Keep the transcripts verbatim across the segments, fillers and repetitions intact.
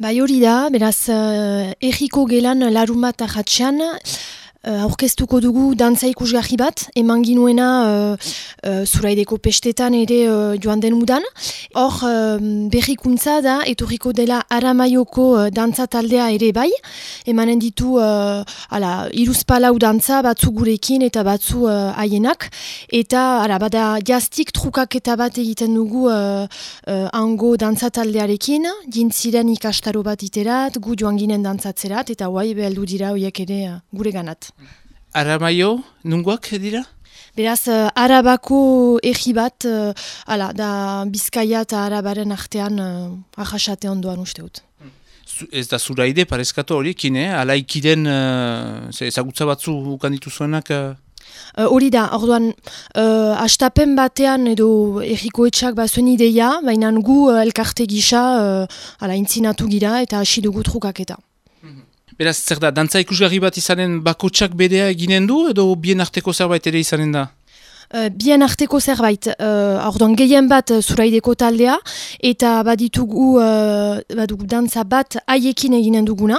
Bai hori da, beraz, uh, erriko gelan larun bat ahatxean, Uh, aurkeztuko dugu dantza ikusgarri bat, eman ginuena uh, uh, Zuraideko pestetan ere uh, joan den udan. Hor uh, berrikuntza da, etorriko dela Aramaioko uh, dantza taldea ere bai, emanen ditu uh, ala, iruzpalau dantza batzu gurekin eta batzu uh, haienak, eta ala, bada jaztik trukaketa bat egiten dugu uh, uh, hango dantza taldearekin, jintziren ikastaro bat iterat, gu joan ginen dantzatzerat, eta guai beheldu dira horiek ere uh, gure ganat. Aramaio, nungoak dira? Beraz, uh, Arabako erri bat, uh, ala, da Bizkaia eta Arabaren artean uh, ahasate ondoan uste dut. Ez da Zuraide, parezkatu horiekin, eh? Alaikiren uh, ezagutza batzu ukan dituzuenak? Uh... Hori uh, da, orduan, uh, astapen batean edo erriko etxak bazuen ideia, baina gu uh, elkarte gisa uh, ala, intzinatu gira eta hasi dugu trukaketa. Beraz, zer da, dantza ikusgarri bat izanen bakotsak bedea eginen du, edo bien arteko zerbait ere izanen da? Uh, bien arteko zerbait, uh, orduan gehien bat uh, Zuraideko taldea, eta baditugu, uh, badugu dantza bat haiekin eginen duguna,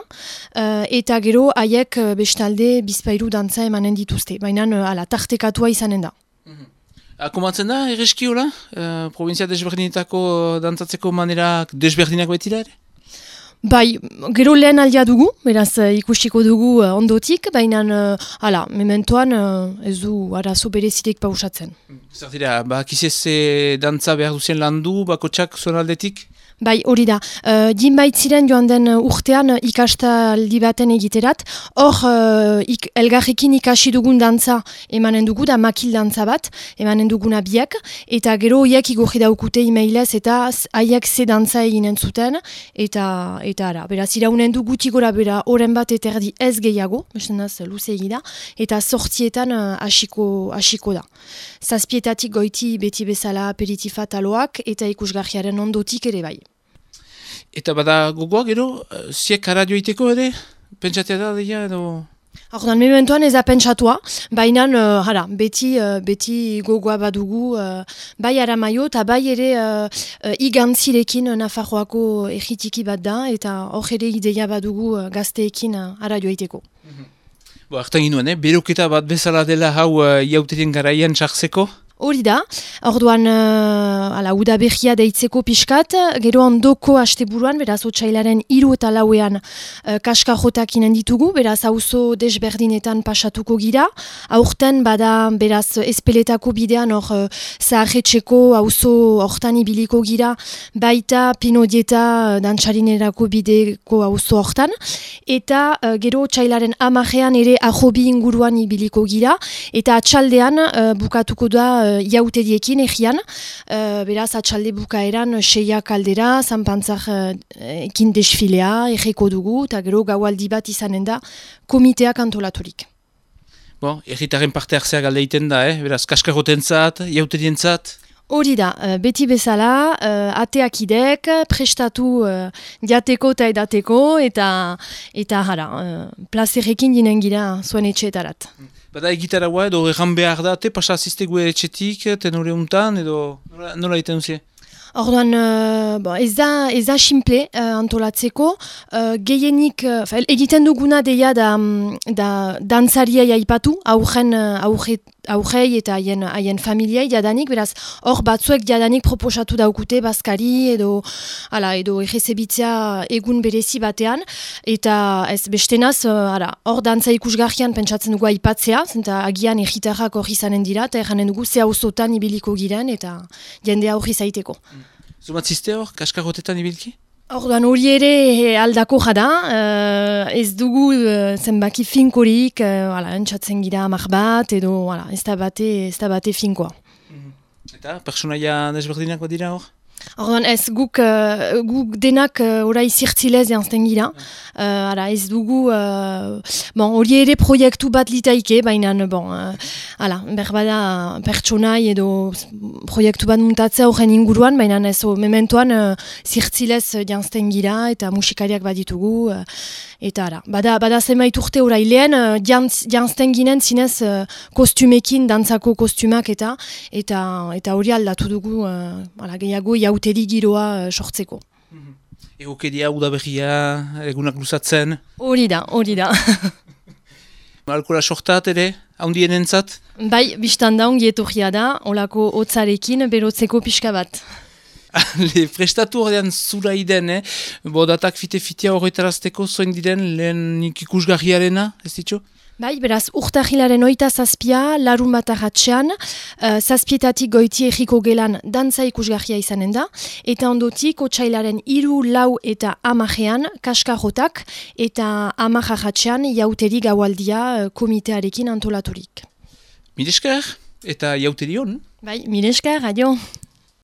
uh, eta gero haiek uh, bestalde bizpairu dantza emanen dituzte, baina uh, ala, tartekatua izanen da. Mm-hmm. Akomatzen da, erreski hola? Uh, provinzia desberdinetako dantzatzeko manerak desberdinak baitira ere? Bai, gero lehen aldia dugu, beraz uh, ikusiko dugu uh, ondotik, baina uh, hala, mementoan uh, ez du arazo berezirik pausatzen. Zer dira, bakizez dantza behar duzien landu, bakotsak zuen aldetik? Bai, hori da. Uh, Jinbait ziren joan den urtean ikastaldi baten egiterat. Hor, uh, ik, elgarrekin ikasi dugun dantza emanen dugu, da makil dantza bat, emanen duguna biak. Eta gero horiek igorri daukute emailez eta haiek ze dantza eginen zuten. Eta, eta ara, beraz, iraunen du guti gora bera oren bat eterdi ez gehiago, bestenaz luze egida, eta sortzietan hasiko uh, hasiko da. Zazpietatik goiti beti bezala aperitifat aloak eta ikusgarriaren ondotik ere bai. Eta bada gogoa gero, ziek aradio iteko ere? Pentsatea da deia edo... Ordan, mementoan ez da pentsatua, baina uh, hara, beti, uh, beti gogoa badugu, uh, bai Aramaio eta bai ere uh, uh, igantzirekin uh, Nafarroako erritiki bat da, eta hor ere ideia badugu uh, gazteekin uh, aradio iteko. Mm-hmm. Bo, hartan ginoen, eh? Beroketa bat bezala dela hau uh, jauterien garaian txarzeko? Hori da, orduan uh, ala, udaberria deitzeko pixkat, gero ondoko asteburuan, beraz otsailaren hiru eta lauean uh, kaska jotak inen ditugu, beraz auzo desberdinetan pasatuko gira, aurten bada beraz espeletako bidean hor uh, zaharretxeko auzo hortan ibiliko gira, baita Pinodieta uh, dantzarinerako bideko auzo hortan, eta uh, gero otsailaren amarean ere arrobi inguruan ibiliko gira, eta atxaldean uh, bukatuko da uh, jauteriekin egian, uh, beraz atxalde bukaeran seiak aldera, zanpantzak uh, ekin desfilea, egeko dugu, eta gero gaualdi bat izanen da komiteak antolaturik. Bon, erritaren parte hartzea galde egiten da, eh? Beraz, kaskarroten zat, jauterien zat? Hori da, uh, beti bezala, uh, ateak idek, prestatu uh, diateko eta edateko, eta, eta jara, uh, plazerrekin dinen gira zuen etxeetarat. Bada egitaragoa edo erran behar da, te pasa aziztegu etxetik, tenore untan, edo nola, nola egiten duzie? Orduan, uh, bo, ez da, ez da simple uh, antolatzeko, uh, gehienik, uh, egiten duguna deia da, da dantzariai aipatu, aurren, aurre, aurrei eta haien, haien familiai jadanik, beraz, hor batzuek jadanik proposatu daukute bazkari edo, ala, edo errezebitzea egun berezi batean, eta ez bestenaz, uh, hor dantza ikusgarrian pentsatzen dugu aipatzea, zenta agian erritarrak hor izanen dira, eta erranen dugu ze auzotan ibiliko giren, eta jendea hor izaiteko. Zumatzizte hor, kaskarrotetan ibilki? Orduan hori ere aldako jada, uh, ez dugu uh, zenbaki finkorik, uh, entzatzen gira amak bat, edo ala, ez da bate, ez da bate finkoa. Mm-hmm. Eta pertsonaia desberdinak bat dira hor? Orduan ez guk, uh, guk denak uh, orai zirtzilez janzten gira, uh, ara, ez dugu, uh, bon, hori ere proiektu bat litaike, baina bon, uh, ala, berbada pertsonai edo proiektu bat muntatzea horren inguruan, baina ez o, mementoan uh, zirtzilez janzten gira eta musikariak bat ditugu, uh, eta ara, bada, bada zenbait urte orai lehen, uh, jantz, janzten ginen zinez uh, kostumekin, dantzako kostumak eta eta eta hori aldatu dugu, uh, ala, gehiago jauteri giroa uh, sortzeko. Mm-hmm. Egokeria, udaberria, egunak luzatzen. Hori da, hori da. Alkola sortat ere, haundien entzat? Bai, biztan da ongi etorria da, olako hotzarekin berotzeko pixka bat. Le prestatu horrean zura iden, eh? Bo datak fite-fitea horretarazteko zoin diren lehen ikusgarriarena, ez ditxo? Bai, beraz, urtahilaren oita zazpia, larun bat arratxean, uh, zazpietatik goiti egiko gelan dantza ikusgarria izanen da, eta ondotik otsailaren hiru, lau eta amajean kaskajotak, eta amaj arratxean jauteri gaualdia uh, komitearekin antolaturik. Miresker, eta jauteri hon? Bai, miresker, adio.